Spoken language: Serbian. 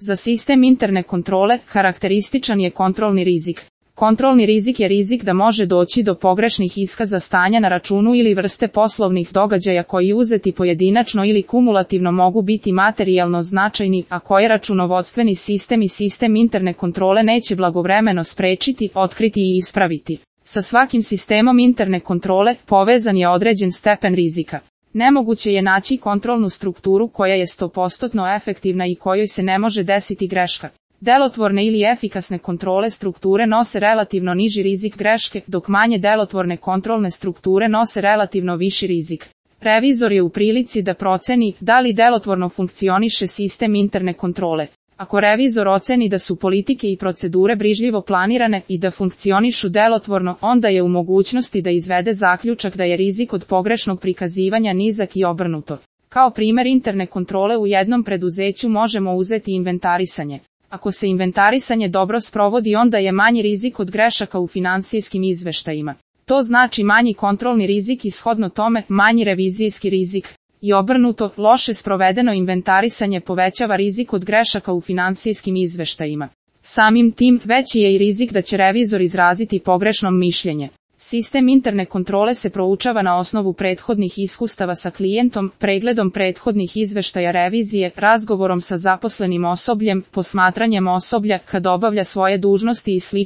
Za sistem interne kontrole karakterističan je kontrolni rizik. Kontrolni rizik je rizik da može doći do pogrešnih iskaza stanja na računu ili vrste poslovnih događaja koji uzeti pojedinačno ili kumulativno mogu biti materijalno značajni, a koje računovodstveni sistem i sistem interne kontrole neće blagovremeno sprečiti, otkriti i ispraviti. Sa svakim sistemom interne kontrole povezan je određen stepen rizika. Nemoguće je naći kontrolnu strukturu koja je 100% efektivna i kojoj se ne može desiti greška. Delotvorne ili efikasne kontrole strukture nose relativno niži rizik greške, dok manje delotvorne kontrolne strukture nose relativno viši rizik. Revizor je u prilici da proceni da li delotvorno funkcioniše sistem interne kontrole. Ako revizor oceni da su politike i procedure brižljivo planirane i da funkcionišu delotvorno, onda je u mogućnosti da izvede zaključak da je rizik od pogrešnog prikazivanja nizak i obrnuto. Kao primjer interne kontrole u jednom preduzeću možemo uzeti inventarisanje. Ako se inventarisanje dobro sprovodi, onda je manji rizik od grešaka u finansijskim izveštajima. To znači manji kontrolni rizik i shodno tome manji revizijski rizik. I obrnuto, loše sprovedeno inventarisanje povećava rizik od grešaka u finansijskim izveštajima. Samim tim, veći je i rizik da će revizor izraziti pogrešno mišljenje. Sistem interne kontrole se proučava na osnovu prethodnih iskustava sa klijentom, pregledom prethodnih izveštaja revizije, razgovorom sa zaposlenim osobljem, posmatranjem osoblja kad obavlja svoje dužnosti i sl.